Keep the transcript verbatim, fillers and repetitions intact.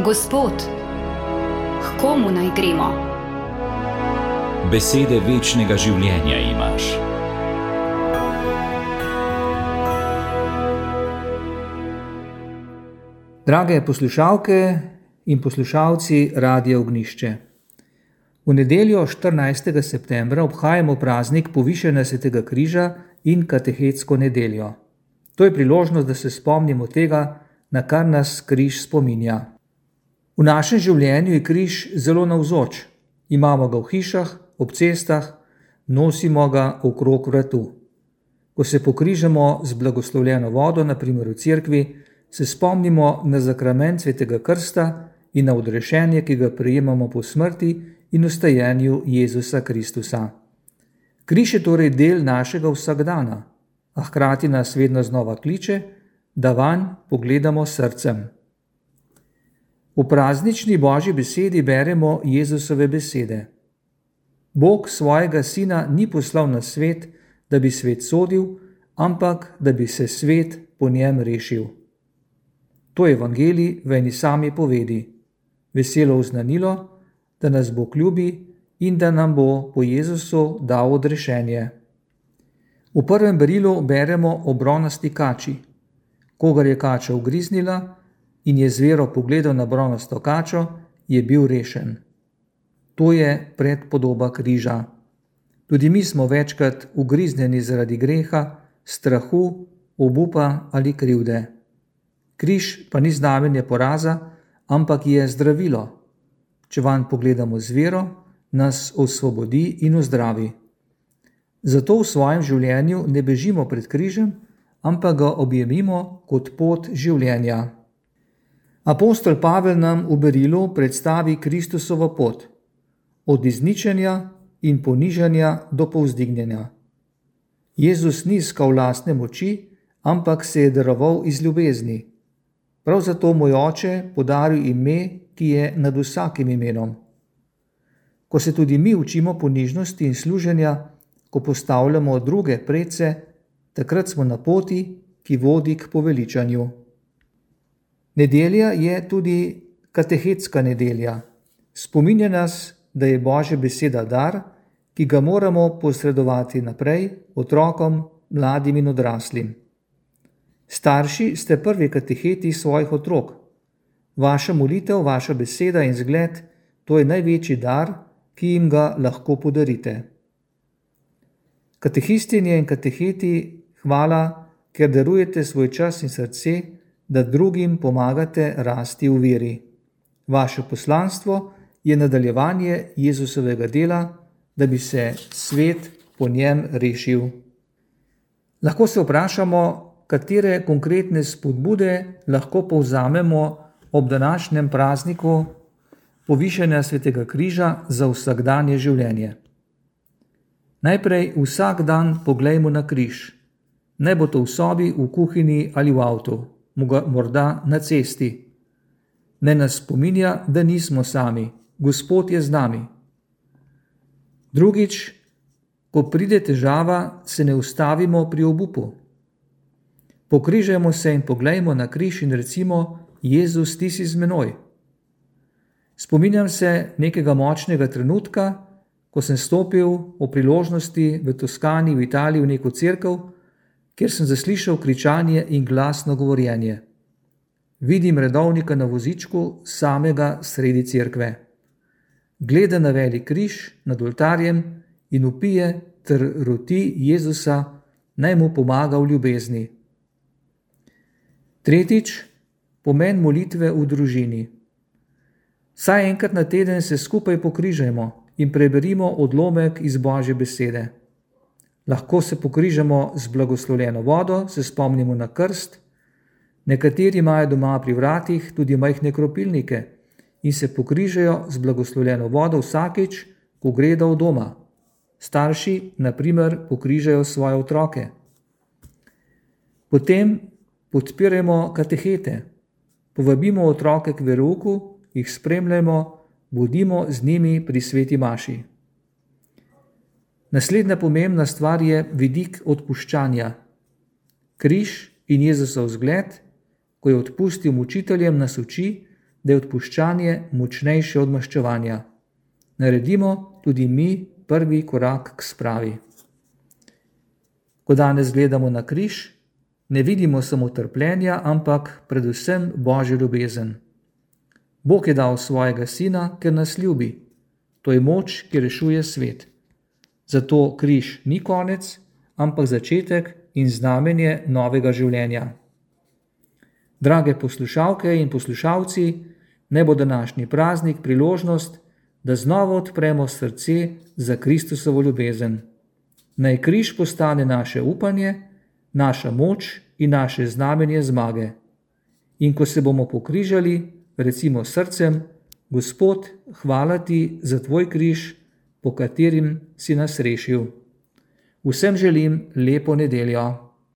Gospod, k komu naj gremo? Besede večnega življenja imaš. Drage poslušalke in poslušalci Radia Ognjišče. V nedeljo štirinajstega septembra obhajamo praznik povišanja Svetega križa in katehetsko nedeljo. To je priložnost, da se spomnimo tega, na kar nas križ spominja. V našem življenju je križ zelo navzoč. Imamo ga v hišah, ob cestah, nosimo ga okrog vratu. Ko se pokrižamo z blagoslovljeno vodo, na primer v cerkvi, se spomnimo na zakrament Svetega krsta in na odrešenje, ki ga prejemamo po smrti in vstajenju Jezusa Kristusa. Križ je torej del našega vsakdana, a hkrati nas vedno znova kliče, da vanj pogledamo srcem. V praznični Božji besedi beremo Jezusove besede. Bog svojega sina ni poslal na svet, da bi svet sodil, ampak da bi se svet po njem rešil. To je evangelij v eni sami povedi, veselo oznanilo, da nas Bog ljubi in da nam bo po Jezusu dal odrešenje. V prvem berilu beremo o bronasti kači. Kogar je kača ugriznila in je zvero pogledal na bronasto kačo, je bil rešen. To je predpodoba križa. Tudi mi smo večkrat ugriznjeni zaradi greha, strahu, obupa ali krivde. Križ pa ni znamenje poraza, ampak je zdravilo. Če vanj pogledamo z vero, nas osvobodi in ozdravi. Zato v svojem življenju ne bežimo pred križem, ampak ga objemimo kot pot življenja. Apostol Pavel nam v berilu predstavi Kristusovo pot, od izničenja in ponižanja do povzdignjenja. Jezus ni iskal lastne moči, ampak se je daroval iz ljubezni. Prav zato mu je Oče podaril ime, ki je nad vsakim imenom. Ko se tudi mi učimo ponižnosti in služenja, ko postavljamo druge predse, takrat smo na poti, ki vodi k poveličanju. Nedelja je tudi katehetska nedelja. Spominja nas, da je Božja beseda dar, ki ga moramo posredovati naprej otrokom, mladim in odraslim. Starši ste prvi kateheti svojih otrok. Vaša molitev, vaša beseda in zgled, to je največji dar, ki jim ga lahko podarite. Katehistinje in kateheti, hvala, ker darujete svoj čas in srce, da drugim pomagate rasti v veri. Vaše poslanstvo je nadaljevanje Jezusovega dela, da bi se svet po njem rešil. Lahko se vprašamo, katere konkretne spodbude lahko povzamemo ob današnjem prazniku povišanja Svetega križa za vsakdanje življenje. Najprej vsak dan poglejmo na križ. Naj bo to v sobi, v kuhinji ali v avtu, morda na cesti. Naj nas spominja, da nismo sami, Gospod je z nami. Drugič, ko pride težava, se ne ustavimo pri obupu. Pokrižajmo se in poglejmo na križ in recimo: Jezus, ti si z menoj. Spominjam se nekega močnega trenutka, ko sem stopil o priložnosti v Toskani v Italiji v neko cerkev, kjer sem zaslišal kričanje in glasno govorjenje. Vidim redovnika na vozičku samega sredi cerkve. Gleda na velik križ nad oltarjem in vpije ter roti Jezusa, naj mu pomaga v ljubezni. Tretjič, pomen molitve v družini. Vsaj enkrat na teden se skupaj pokrižajmo in preberimo odlomek iz Božje besede. Lahko se pokrižamo z blagoslovljeno vodo, se spomnimo na krst. Nekateri imajo doma pri vratih tudi majhne kropilnike in se pokrižajo z blagoslovljeno vodo vsakič, ko gredo od doma. Starši, na primer, pokrižajo svoje otroke. Potem podpirajmo katehete. Povabimo otroke k verouku, jih spremljajmo, bodimo z njimi pri sveti maši. Naslednja pomembna stvar je vidik odpuščanja. Križ in Jezusov zgled, ko je odpustil mučiteljem, nas uči, da je odpuščanje močnejše od maščevanja. Naredimo tudi mi prvi korak k spravi. Ko danes gledamo na križ, ne vidimo samo trpljenja, ampak predvsem Božjo ljubezen. Bog je dal svojega sina, ker nas ljubi. To je moč, ki rešuje svet. Zato križ ni konec, ampak začetek in znamenje novega življenja. Drage poslušalke in poslušalci, naj bo današnji praznik priložnost, da znova odpremo srce za Kristusovo ljubezen. Naj križ postane naše upanje, naša moč in naše znamenje zmage. In ko se bomo pokrižali, recimo srcem: Gospod, hvala ti za tvoj križ, po katerim si nas rešil. Vsem želim lepo nedeljo.